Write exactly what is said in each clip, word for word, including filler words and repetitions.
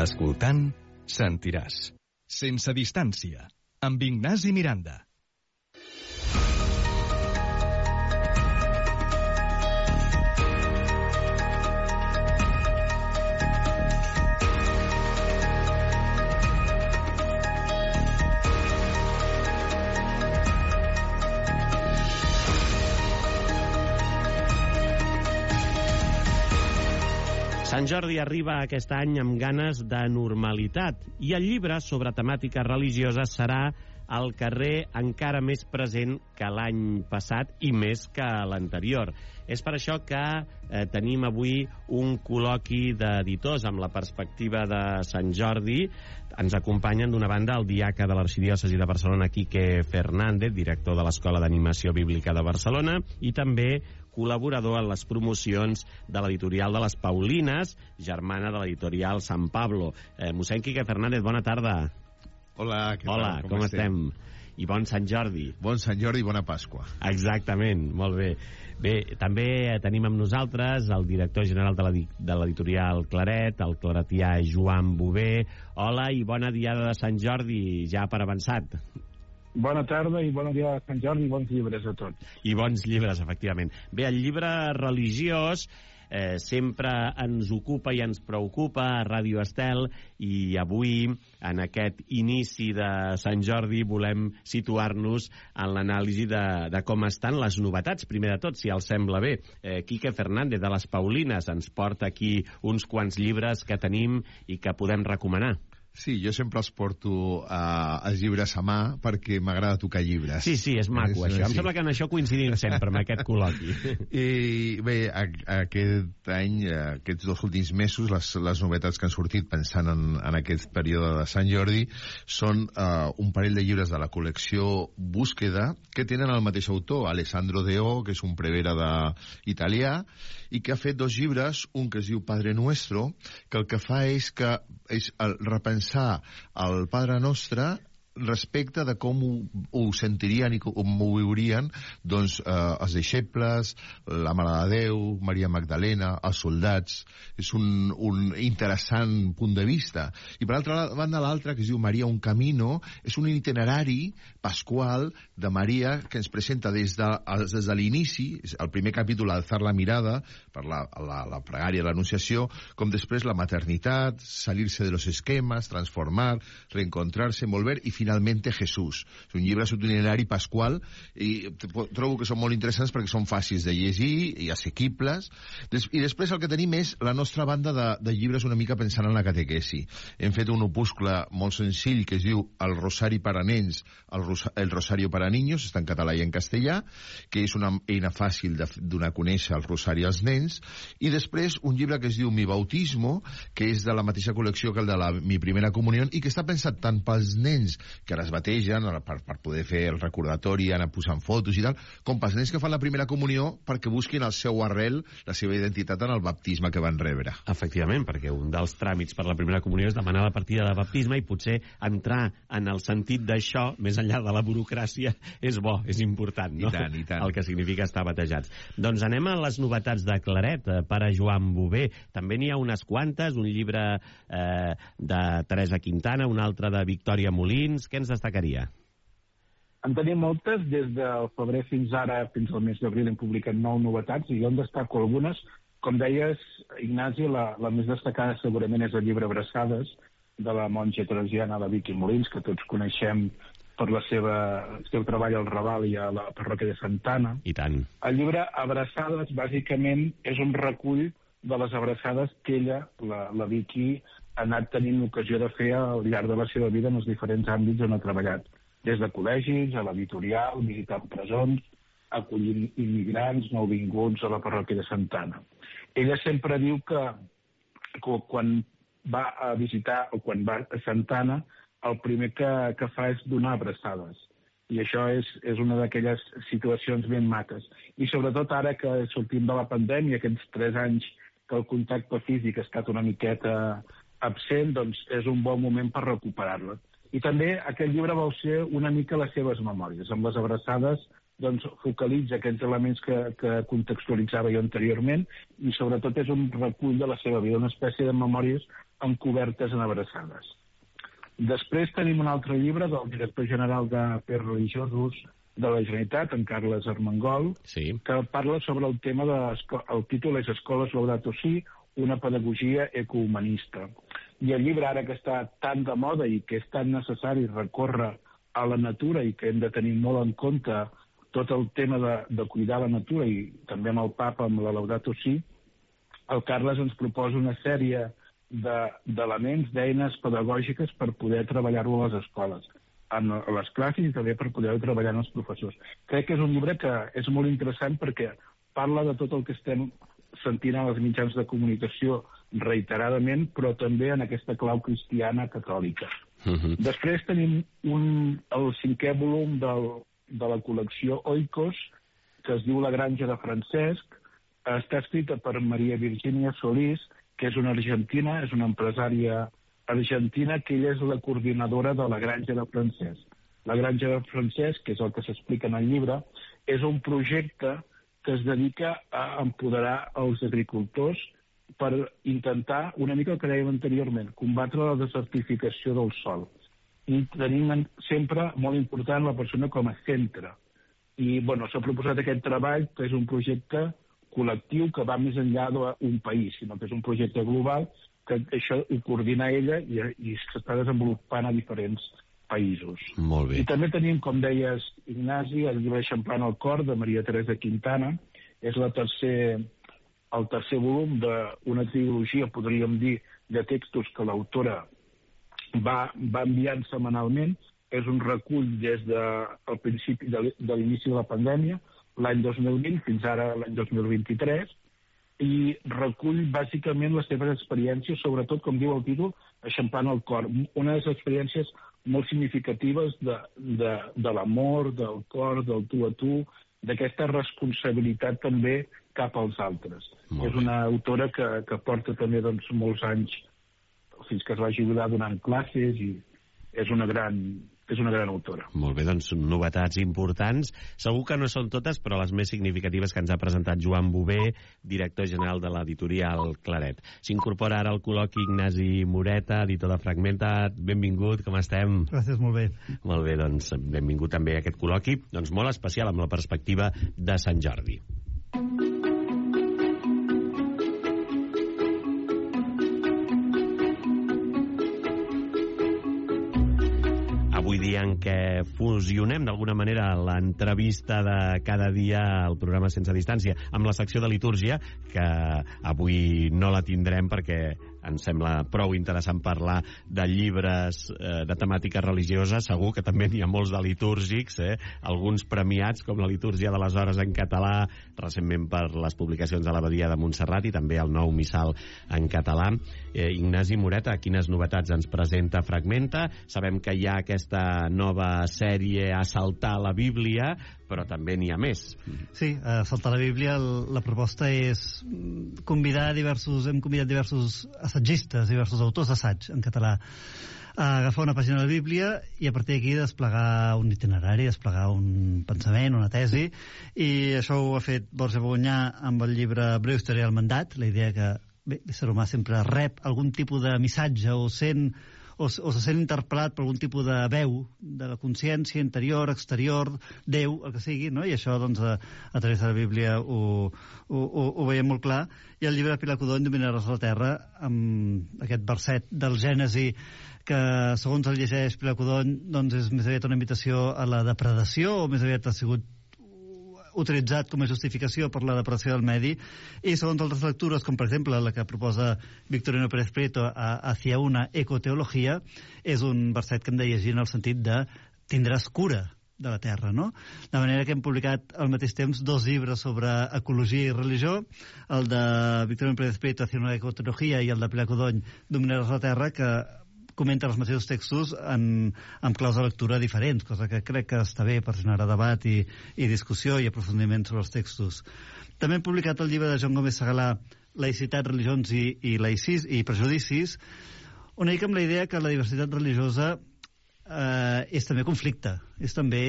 Escoltant, sentiràs. Sense distància, amb Ignasi Miranda. Sant Jordi arriba aquest any amb ganes de normalitat i el llibre sobre temàtiques religioses serà al carrer encara més present que l'any passat i més que l'anterior. És per això que eh, tenim avui un col·loqui d'editors amb la perspectiva de Sant Jordi. Ens acompanyen d'una banda el diaca de l'Arxidiòcesi de Barcelona, Quique Fernández, director de l'Escola d'Animació Bíblica de Barcelona, i també col·laborador en les promocions de l'editorial de les Paulines, germana de l'editorial San Pablo. Eh, mossèn Quique Fernández, bona tarda. Hola, què tal? Hola, com, com estem? estem? I bon Sant Jordi. Bon Sant Jordi i bona Pasqua. Exactament, molt bé. Bé, també tenim amb nosaltres el director general de l'editorial Claret, el claretià Joan Bové. Hola i bona diada de Sant Jordi, ja per avançat. Bona tarda i bona dia de Sant Jordi i bons llibres a tots. I bons llibres, efectivament. Bé, el llibre religiós eh, sempre ens ocupa i ens preocupa a Ràdio Estel, i avui, en aquest inici de Sant Jordi, volem situar-nos en l'anàlisi de, de com estan les novetats. Primer de tot, si els sembla bé, eh, Quique Fernández de les Paulines ens porta aquí uns quants llibres que tenim i que podem recomanar. Sí, jo sempre els porto uh, els llibres a mà perquè m'agrada tocar llibres. Sí, sí, és maco, és, això. Sí. Em sembla que en això coincidim sempre, amb aquest col·loqui. I bé, a, a aquest any, aquests dos últims mesos, les, les novetats que han sortit pensant en, en aquest període de Sant Jordi són uh, un parell de llibres de la col·lecció Búsqueda que tenen el mateix autor, Alessandro Deo, que és un prevere de, italià, i que ha fet dos llibres, un que es diu Padre Nuestro, que el que fa és que és el repensar el Padre Nostre respecte de com ho, ho sentirien i com ho viurien doncs, eh, els deixebles, la Mare de Déu, Maria Magdalena, els soldats. És un, un interessant punt de vista. I per altra banda, l'altre, que es diu Maria un Camino, és un itinerari pasqual de Maria que ens presenta des de, des de l'inici, el primer capítol, Alzar la mirada, per la, la, la pregària, l'Anunciació, com després la maternitat, salirse de los esquemas, transformar, reencontrarse, volver, i finalmente Jesús. És un llibre itinerari pasqual i trobo que són molt interessants perquè són fàcils de llegir i assequibles. I després el que tenim és la nostra banda de, de llibres una mica pensant en la catequesi. Hem fet un opuscle molt senzill que es diu El Rosari para nens, el, Rosa, el Rosario para niños, està en català i en castellà, que és una eina fàcil de donar a conèixer el Rosari als nens. I després un llibre que es diu Mi Bautismo, que és de la mateixa col·lecció que el de la Mi Primera Comunió i que està pensat tant pels nens que les bategen per, per poder fer el recordatori, anar posant fotos i tal, com pels nens que fan la primera comunió perquè busquin el seu arrel, la seva identitat en el baptisme que van rebre. Efectivament, perquè un dels tràmits per la primera comunió és demanar la partida de baptisme i potser entrar en el sentit d'això, més enllà de la burocràcia, és bo, és important, no? I tant, i tant. El que significa estar batejats. Doncs anem a les novetats de Claret, pare Joan Bové. També n'hi ha unes quantes, un llibre eh, de Teresa Quintana, un altre de Victòria Molins. Què ens destacaria? En tenim moltes, des del febrer fins ara, fins al mes d'abril hem publicat nou novetats i jo en destaco algunes. Com deies, Ignasi, la, la més destacada segurament és el llibre Abraçades, de la monja teresiana, la Vicky Molins, que tots coneixem per la seva, el seu treball al Raval i a la parròquia de Santa Anna. I tant. El llibre Abraçades, bàsicament, és un recull de les abraçades que ella, la, la Vicky, ha anat tenint l'ocasió de fer al llarg de la seva vida en els diferents àmbits on ha treballat. Des de col·legis, a l'editorial, visitant presons, acollint immigrants nouvinguts a la parròquia de Santa Anna. Ella sempre diu que, que quan va a visitar o quan va a Santa Anna, el primer que, que fa és donar abraçades. I això és, és una d'aquelles situacions ben maques. I sobretot ara que sortim de la pandèmia, aquests tres anys que el contacte físic ha estat una miqueta absent, doncs és un bon moment per recuperar-la. I també aquest llibre vol ser una mica les seves memòries. Amb les abraçades doncs, focalitza aquests elements que, que contextualitzava jo anteriorment i sobretot és un recull de la seva vida, una espècie de memòries encobertes en abraçades. Després tenim un altre llibre del director general d'Afers Religiosos de la Generalitat, en Carles Armengol, sí, que parla sobre el tema de... El títol és Escoles Laudato Si, una pedagogia ecohumanista. I el llibre, ara que està tan de moda i que és tan necessari recórrer a la natura i que hem de tenir molt en compte tot el tema de, de cuidar la natura i també amb el Papa, amb la Laudato Si, el Carles ens proposa una sèrie d'elements, de, d'eines pedagògiques per poder treballar-ho a les escoles, a les classes i també per poder treballar en els professors. Crec que és un llibre que és molt interessant perquè parla de tot el que estem sentint en els mitjans de comunicació reiteradament, però també en aquesta clau cristiana catòlica. Uh-huh. Després tenim un, el cinquè volum del, de la col·lecció Oikos, que es diu La granja de Francesc. Està escrita per Maria Virginia Solís, que és una argentina, és una empresària argentina, que ella és la coordinadora de la granja de Francesc. La granja de Francesc, que és el que s'explica en el llibre, és un projecte que es dedica a empoderar els agricultors per intentar, una mica el que dèiem anteriorment, combatre la desertificació del sòl. I tenim sempre molt important la persona com a centre. I, bueno, s'ha proposat aquest treball, que és un projecte col·lectiu que va més enllà d'un país, sinó que és un projecte global que això ho coordina ella i, i s'està desenvolupant a diferents països. Molt bé. I també tenim, com deies, Ignasi, el llibre Eixamplant el cor, de Maria Teresa Quintana. És la tercer, el tercer volum d'una trilogia, podríem dir, de textos que l'autora va, va enviant setmanalment. És un recull des del principi de, de l'inici de la pandèmia, l'any dos mil vint fins ara l'any dos mil vint-i-tres, i recull bàsicament les seves experiències, sobretot, com diu el títol, Eixamplant el cor. Una de les experiències molt significatives de, de, de l'amor, del cor, del tu a tu, d'aquesta responsabilitat també cap als altres. Molt és una autora que, que porta també doncs, molts anys, fins que es va jubilar donant classes, i és una gran... és una gran autora. Molt bé, doncs novetats importants. Segur que no són totes, però les més significatives que ens ha presentat Joan Bové, director general de l'editorial Claret. S'incorpora ara al col·loqui Ignasi Moreta, editor de Fragmenta. Benvingut, com estem? Gràcies, molt bé. Molt bé, doncs benvingut també a aquest col·loqui, doncs molt especial amb la perspectiva de Sant Jordi. Avui dia en què fusionem d'alguna manera l'entrevista de cada dia al programa Sense Distància amb la secció de litúrgia, que avui no la tindrem perquè ens sembla prou interessant parlar de llibres eh, de temàtica religiosa. Segur que també n'hi ha molts de litúrgics, eh? Alguns premiats, com la litúrgia de les hores en català, recentment per les publicacions de l'Abadia de Montserrat, i també el nou missal en català. Eh, Ignasi Moreta, quines novetats ens presenta Fragmenta? Sabem que hi ha aquesta nova sèrie Assaltar la Bíblia, però també n'hi ha més. Sí, a Assaltar la Bíblia la proposta és convidar diversos, hem convidat diversos assaggistes, diversos autors d'assaig en català a agafar una pàgina de la Bíblia i a partir d'aquí desplegar un itinerari, desplegar un pensament, una tesi, i això ho ha fet Borja Bognyà amb el llibre Breu història del mandat. La idea que bé, l'ésser humà sempre rep algun tipus de missatge o sent o, o se sent interpel·lat per algun tipus de veu de la consciència interior, exterior, Déu, el que sigui, no? I això doncs a, a través de la Bíblia ho, ho, ho, ho veiem molt clar. I el llibre de Pilar Codony, Dominaràs la terra, amb aquest verset del Gènesi que, segons el llegeix Pilar Codony, doncs és més aviat una invitació a la depredació, o més aviat ha sigut utilitzat com a justificació per la depredació del medi, i segons altres lectures, com per exemple la que proposa Victorino Pérez Prieto a Hacia una ecoteologia, és un verset que hem de llegir en el sentit de tindràs cura de la terra, no? De manera que hem publicat al mateix temps dos llibres sobre ecologia i religió, el de Victorino Pérez Prieto, Hacia una ecoteologia, i el de Pilar Codony, Dominaràs la terra, que comenta els mateixos textos en, en claus de lectura diferents, cosa que crec que està bé per generar debat i, i discussió i aprofundiment sobre els textos. També hem publicat el llibre de Joan Gómez Segalà, Laïcitat, religions i, i, laicis, i prejudicis, una mica amb la idea que la diversitat religiosa eh, és també conflicte, és també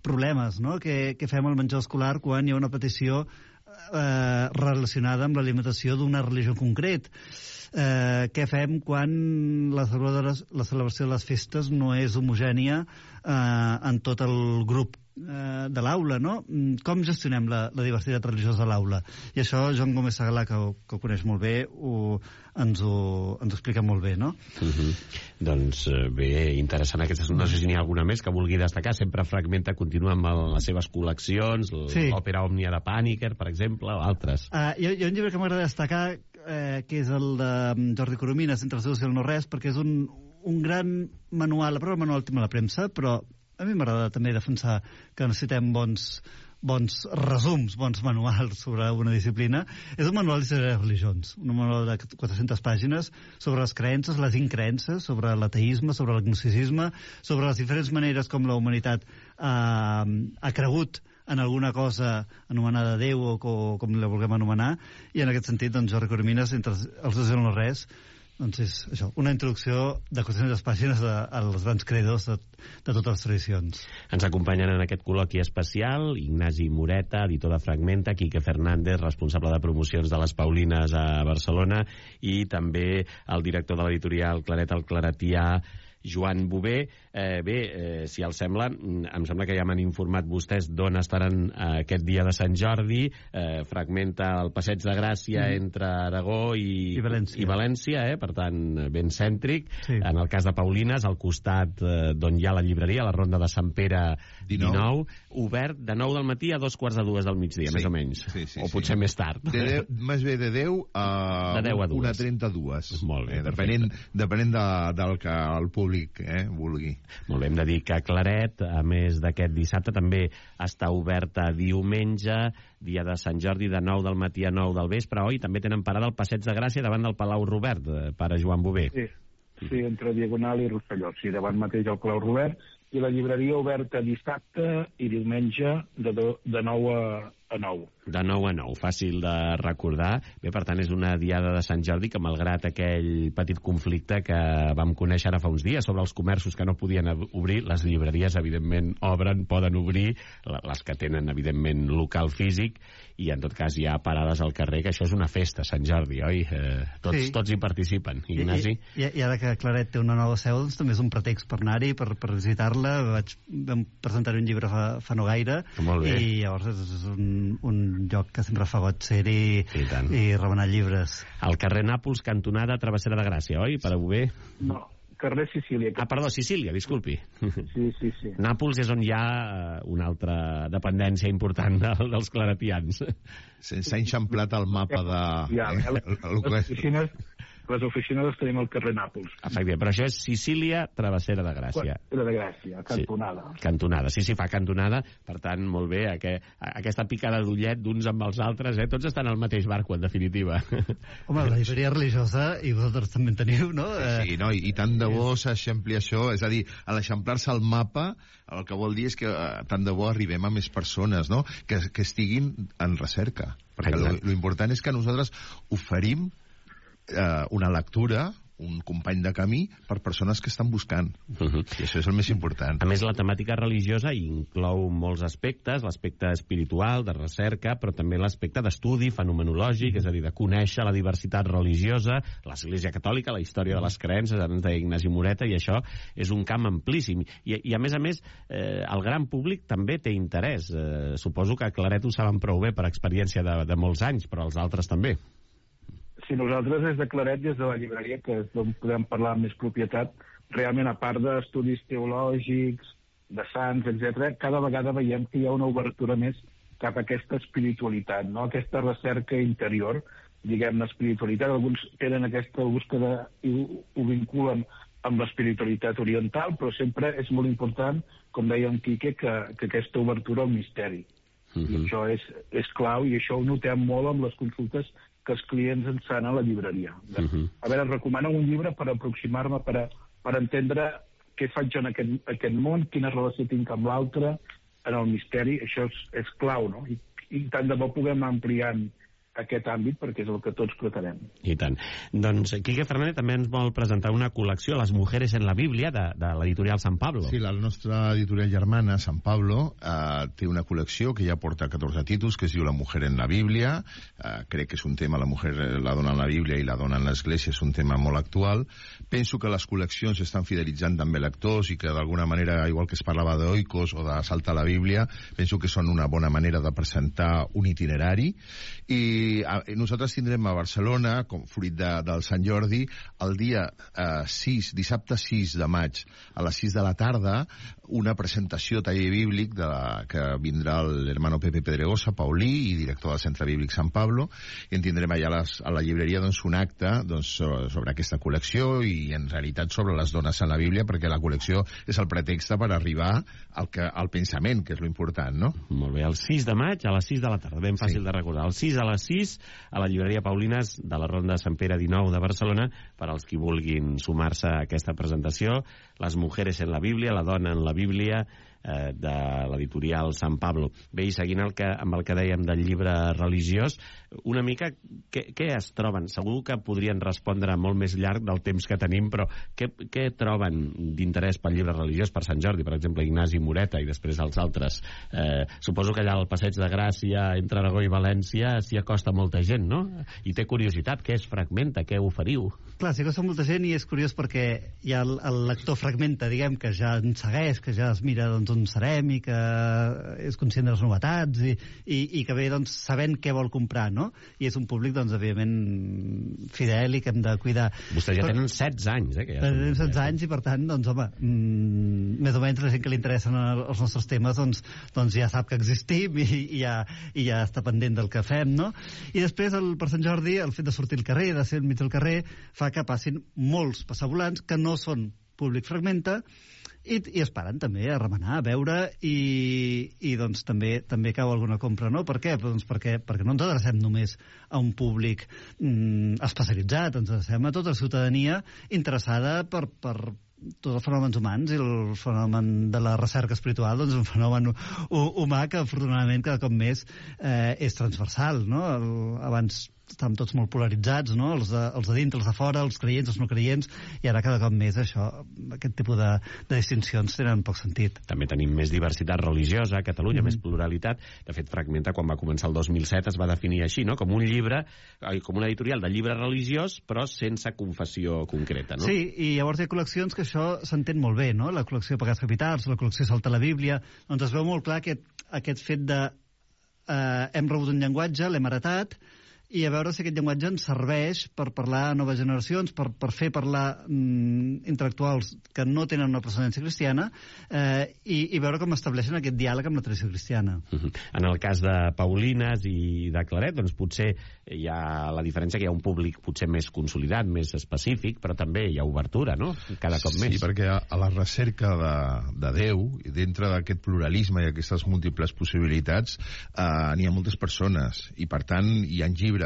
problemes, no? Què, què fem al menjador escolar quan hi ha una petició eh, relacionada amb l'alimentació d'una religió en concret? Eh, què fem quan la celebració, la celebració de les festes no és homogènia eh, en tot el grup eh, de l'aula, no? Com gestionem la, la diversitat religiosa a l'aula? I això Joan Gómez Segalà, que, que ho coneix molt bé, ho, ens, ho, ens ho explica molt bé, no? Uh -huh. Doncs bé, interessant. Aquesta, no sé si n'hi ha alguna més que vulgui destacar. Sempre Fragmenta continua amb el, les seves col·leccions, sí. l'òpera Òmnia de Pàniker, per exemple, o altres. Uh, hi, hi ha un llibre que m'agrada destacar, eh, que és el de Jordi Coromines, Entre el Déu i el no-res, perquè és un, un gran manual, la prova manual tema la premsa, però a mi m'agrada també defensar que necessitem bons, bons resums, bons manuals sobre una disciplina. És un manual d'història de religions, un manual de quatre-centes pàgines sobre les creences, les increences, sobre l'ateisme, sobre l'agnosticisme, sobre les diferents maneres com la humanitat eh, ha cregut en alguna cosa anomenada Déu o, o com la vulguem anomenar, i en aquest sentit, doncs, Jordi Coromines, Entre els Déus i el no-res, doncs és això, una introducció de quatre-centes pàgines de, als grans creadors de, de totes les tradicions. Ens acompanyen en aquest col·loqui especial Ignasi Moreta, editor de Fragmenta, Quique Fernández, responsable de promocions de les Paulines a Barcelona, i també el director de l'editorial Claret el Claretià, Joan Bové. Eh, bé, eh, si els sembla, em sembla que ja m'han informat vostès d'on estaran eh, aquest dia de Sant Jordi. Eh, Fragmenta el Passeig de Gràcia mm. entre Aragó i, I València, i València eh? Per tant, ben cèntric. Sí. En el cas de Paulines, al costat eh, d'on hi ha la llibreria, la Ronda de Sant Pere dinou, obert de nou del matí a dos quarts de dues del migdia, sí. més o menys. Sí, sí, o sí. potser més tard. De deu, més bé de deu a, de deu a una trenta-dues. Molt bé, eh, depenent, depenent de, del que el públic eh, vulgui. Molt bé, hem de dir que Claret, a més d'aquest dissabte, també està oberta diumenge, dia de Sant Jordi, de nou del matí a nou del vespre, oi? També tenen parada al Passeig de Gràcia davant del Palau Robert, pare Joan Bové. Sí, sí, entre Diagonal i Rosselló, sí, davant mateix al Palau Robert, i la llibreria oberta dissabte i diumenge de, do, de nou a, a nou. De nou a nou, fàcil de recordar. Bé, per tant, és una diada de Sant Jordi que, malgrat aquell petit conflicte que vam conèixer ara fa uns dies sobre els comerços que no podien obrir, les llibreries, evidentment, obren, poden obrir, les que tenen, evidentment, local físic, i en tot cas hi ha parades al carrer, que això és una festa, Sant Jordi, oi? Eh, tots, sí. tots hi participen. Ignasi? I, i, I ara que Claret té una nova seu, doncs també és un pretext per anar-hi, per, per visitar-la. Vaig vam presentar un llibre fa, fa no gaire, i llavors és un, un lloc que sempre fa goig ser-hi i, i remenar llibres. Al carrer Nàpols, cantonada Travessera de Gràcia, oi, pare Bové? No, carrer Sicília. Ah, perdó, Sicília, disculpi. Sí, sí, sí. Nàpols és on hi ha una altra dependència important del, dels claretians. S'ha enxamplat el mapa de... Ja, eh, les oficines... Les oficines les tenim al carrer Nàpols. Efectivament, però això és Sicília, Travessera de Gràcia. Travessera de Gràcia, cantonada. Sí, cantonada, sí, sí, fa cantonada, per tant, molt bé, aqu aquesta picada d'ullet d'uns amb els altres, eh? Tots estan al mateix barco, en definitiva. Home, la llibreria religiosa, i vosaltres també en teniu, no? Sí, no? I, i tant de bo s'eixampli això, és a dir, a l'eixamplar-se el mapa, el que vol dir és que eh, tant de bo arribem a més persones, no?, que, que estiguin en recerca. Perquè lo, lo important és que nosaltres oferim Eh, una lectura, un company de camí per persones que estan buscant. Uh -huh. I això és el més important. A més, la temàtica religiosa inclou molts aspectes, l'aspecte espiritual, de recerca, però també l'aspecte d'estudi fenomenològic, és a dir, de conèixer la diversitat religiosa, l'Església Catòlica, la història de les creences, ara ens deia Ignasi Moreta, i això és un camp amplíssim. I, i a més a més, eh, el gran públic també té interès. Eh, suposo que Claret ho saben prou bé per experiència de, de molts anys, però els altres també. Si nosaltres des de Claret, des de la llibreria, que és d'on podem parlar amb més propietat, realment, a part d'estudis teològics, de sants, etcètera, cada vegada veiem que hi ha una obertura més cap a aquesta espiritualitat, no? Aquesta recerca interior, diguem-ne, espiritualitat. Alguns tenen aquesta búsqueda i ho, ho vinculen amb l'espiritualitat oriental, però sempre és molt important, com deia en Quique, que, que aquesta obertura al misteri. Uh-huh. I això és, és clau, i això ho notem molt amb les consultes que els clients ens fan a la llibreria. Uh-huh. A veure, recomano un llibre per aproximar-me, per, a, per entendre què faig jo en aquest, aquest món, quina relació tinc amb l'altre, en el misteri. Això és, és clau, no? I, i tant de bo puguem anar ampliant aquest àmbit, perquè és el que tots pretenem. I tant. Doncs Quique Fernández també ens vol presentar una col·lecció, Les mujeres en la Bíblia, de, de l'editorial San Pablo. Sí, la nostra editorial germana, San Pablo, eh, té una col·lecció que ja porta catorze títols, que es diu La mujer en la Bíblia. Eh, crec que és un tema, la mujer, la dona en la Bíblia i la dona en l'Església, és un tema molt actual. Penso que les col·leccions estan fidelitzant també lectors i que d'alguna manera, igual que es parlava d'oikos o de saltar la Bíblia, penso que són una bona manera de presentar un itinerari. I i nosaltres tindrem a Barcelona, com fruit de, del Sant Jordi, el dia eh, sis, dissabte sis de maig, a les sis de la tarda, una presentació taller bíblic de la, que vindrà l'hermano Pepe Pedregosa, Paulí, i director del Centre Bíblic Sant Pablo, i en tindrem allà les, a la llibreria doncs, un acte doncs, sobre, sobre aquesta col·lecció i en realitat sobre les dones en la Bíblia, perquè la col·lecció és el pretext per arribar al, que, al pensament, que és lo important, no? Molt bé, el sis de maig a les sis de la tarda, ben fàcil sí. de recordar. El sis a les sis a la llibreria Paulines de la Ronda de Sant Pere dinou de Barcelona, per als qui vulguin sumar-se a aquesta presentació. Les mujeres en la Bíblia, la dona en la Bíblia, eh, de l'editorial San Pablo. Bé, i seguint el que, amb el que dèiem del llibre religiós, una mica què, què es troben? Segur que podrien respondre molt més llarg del temps que tenim, però què, què troben d'interès pel llibre religiós per Sant Jordi, per exemple, Ignasi Moreta i després els altres? Eh, suposo que allà al Passeig de Gràcia, entre Aragó i València, s'hi acosta molta gent, no? I té curiositat, què es fragmenta, què oferiu? Clar, s'hi acosta molta gent i és curiós perquè hi ha el, el lector fragmenta, diguem, que ja ens segueix, que ja es mira doncs, on serem i que és conscient de les novetats i, i, i que ve doncs, sabent què vol comprar, no? I és un públic, doncs, evidentment fidel i que hem de cuidar. Vostès ja Però, tenen setze anys, eh? Que ja tenen setze anys i, per tant, doncs, home, mmm, més o menys la gent que li interessen els nostres temes, doncs, doncs ja sap que existim i, i, ja, i ja està pendent del que fem, no? I després, el, per Sant Jordi, el fet de sortir al carrer, de ser enmig del carrer, fa que passin molts passavolants que no són públic fragmenta i, i es paren també a remenar, a veure i, i doncs també també cau alguna compra, no? Per què? Doncs perquè, perquè no ens adrecem només a un públic mm, especialitzat, ens adrecem a tota la ciutadania interessada per, per tots els fenòmens humans, i el fenomen de la recerca espiritual doncs un fenomen humà que afortunadament cada cop més eh, és transversal, no? El, abans estàvem tots molt polaritzats, no? Els de, els de dintre, els de fora, els creients, els no creients, i ara cada cop més això, aquest tipus de, de distincions tenen poc sentit. També tenim més diversitat religiosa a Catalunya, mm. més pluralitat. De fet, Fragmenta, quan va començar el dos mil set, es va definir així, no? Com un llibre, com una editorial de llibre religiós, però sense confessió concreta, no? Sí, i llavors hi ha col·leccions que això s'entén molt bé, no? La col·lecció Pecats Capitals, la col·lecció Salta la Bíblia, doncs es veu molt clar aquest, aquest fet de eh, hem rebut un llenguatge, l'hem heretat, i a veure si aquest llenguatge ens serveix per parlar a noves generacions, per, per fer parlar mm, intel·lectuals que no tenen una procedència cristiana, eh, i, i veure com estableixen aquest diàleg amb la tradició cristiana. Uh-huh. En el cas de Paulines i de Claret, doncs potser hi ha la diferència que hi ha un públic potser més consolidat, més específic, però també hi ha obertura, no? Cada cop sí, més. Sí, perquè a, a la recerca de, de Déu, i dintre d'aquest pluralisme i aquestes múltiples possibilitats, eh, n'hi ha moltes persones, i per tant hi ha llibres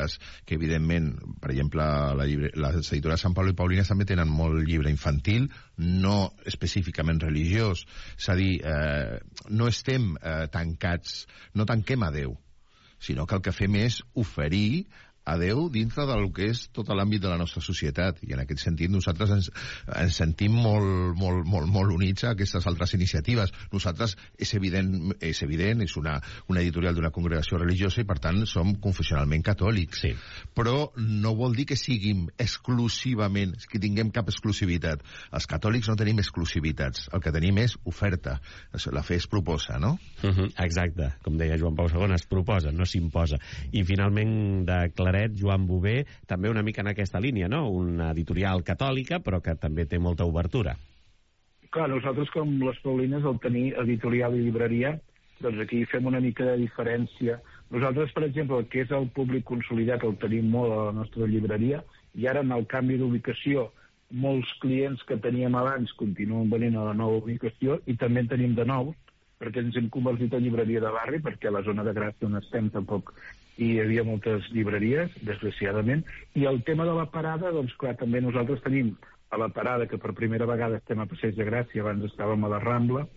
que evidentment, per exemple, la llibre, les editores Sant Pablo i Paulines també tenen molt llibre infantil, no específicament religiós, és a dir, eh, no estem eh, tancats, no tanquem a Déu, sinó que el que fem és oferir a Déu dintre del que és tot l'àmbit de la nostra societat, i en aquest sentit nosaltres ens, ens sentim molt, molt, molt, molt units a aquestes altres iniciatives. Nosaltres és evident, és, evident, és una, una editorial d'una congregació religiosa i per tant som confessionalment catòlics, sí. Però no vol dir que siguin exclusivament, que tinguem cap exclusivitat. Els catòlics no tenim exclusivitats, el que tenim és oferta. La fe es proposa, no? Uh-huh, exacte, com deia Joan Pau segon, es proposa, no s'imposa. I finalment, de Claret, Joan Bové, també una mica en aquesta línia, no? Una editorial catòlica, però que també té molta obertura. Clar, nosaltres com les Paulines, al tenir editorial i llibreria, doncs aquí fem una mica de diferència. Nosaltres, per exemple, el que és el públic consolidat el tenim molt a la nostra llibreria, i ara en el canvi d'ubicació molts clients que teníem abans continuen venint a la nova ubicació, i també en tenim de nous, perquè ens hem convertit en llibreria de barri, perquè a la zona de Gràcia on estem tampoc hi havia moltes llibreries, desgraciadament, i el tema de la parada, doncs clar, també nosaltres tenim a la parada, que per primera vegada estem a Passeig de Gràcia, abans estàvem a la Rambla,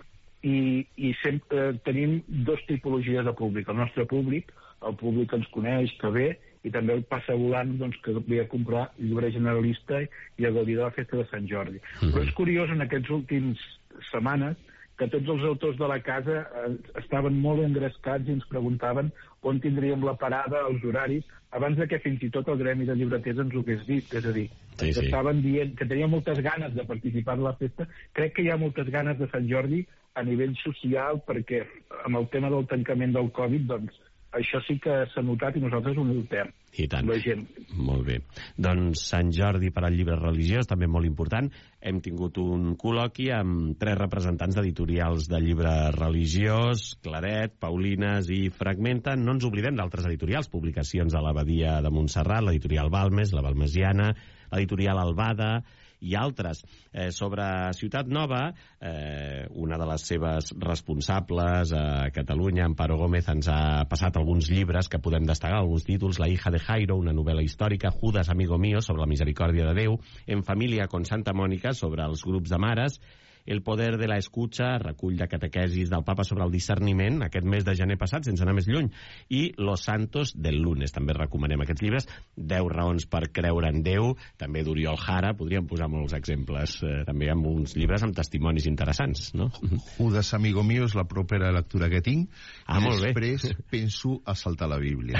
i, i sempre eh, tenim dos tipologies de públic. El nostre públic, el públic que ens coneix, que ve, i també el passa volant, doncs, que havia de comprar llibre generalista i a gaudir de la festa de Sant Jordi. Mm-hmm. Però és curiós, en aquests últims setmanes, que tots els autors de la casa eh, estaven molt engrescats i ens preguntaven on tindríem la parada, els horaris, abans de que fins i tot el gremi de llibreters ens ho hagués dit. És a dir, sí, sí. estaven dient que tenien moltes ganes de participar en la festa. Crec que hi ha moltes ganes de Sant Jordi a nivell social, perquè amb el tema del tancament del Covid, doncs, això sí que s'ha notat i nosaltres ho notem. I tant. La gent. Molt bé. Doncs Sant Jordi per al llibre religiós, també molt important. Hem tingut un col·loqui amb tres representants d'editorials de llibre religiós, Claret, Paulines i Fragmenta. No ens oblidem d'altres editorials, publicacions de l'Abadia de Montserrat, l'editorial Balmes, la Balmesiana, l'editorial Albada i altres. Eh, sobre Ciutat Nova, eh, una de les seves responsables a Catalunya, Amparo Gómez, ens ha passat alguns llibres que podem destacar, alguns títols: La hija de Jairo, una novel·la històrica; Judas, amigo mío, sobre la misericòrdia de Déu; En família con Santa Mònica, sobre els grups de mares; El poder de la escucha, recull de catequesis del papa sobre el discerniment, aquest mes de gener passat, sense anar més lluny; i Los santos del lunes. També recomanem aquests llibres. Deu raons per creure en Déu, també d'Oriol Jara. Podríem posar molts exemples, eh, també amb uns llibres amb testimonis interessants, no? Judas, amigo mío, és la propera lectura que tinc. Ah, i molt bé. Després penso a saltar la Bíblia.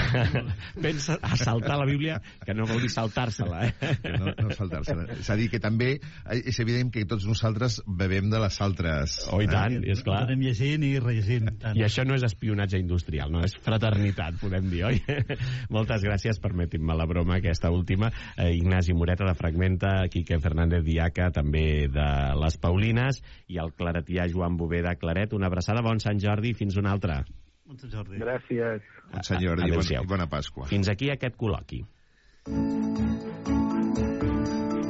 Pensa a saltar la Bíblia, que no vol dir saltar-se-la, eh? Que no, no saltar-se-la. És a dir, que també és evident que tots nosaltres bevem de les altres... Oh, i tant, eh? És clar. Anem llegint i rellegint. Tant. I això no és espionatge industrial, no, és fraternitat, podem dir, oi? Moltes gràcies, permetin-me la broma, aquesta última. Eh, Ignasi Moreta, de Fragmenta, Quique Fernández Diaca, també de les Paulines, i el claretià Joan Bové, de Claret. Una abraçada, bon Sant Jordi, fins una altra. Bon Sant Jordi. Gràcies. Bon Sant Jordi i bona Pasqua. Fins aquí aquest col·loqui.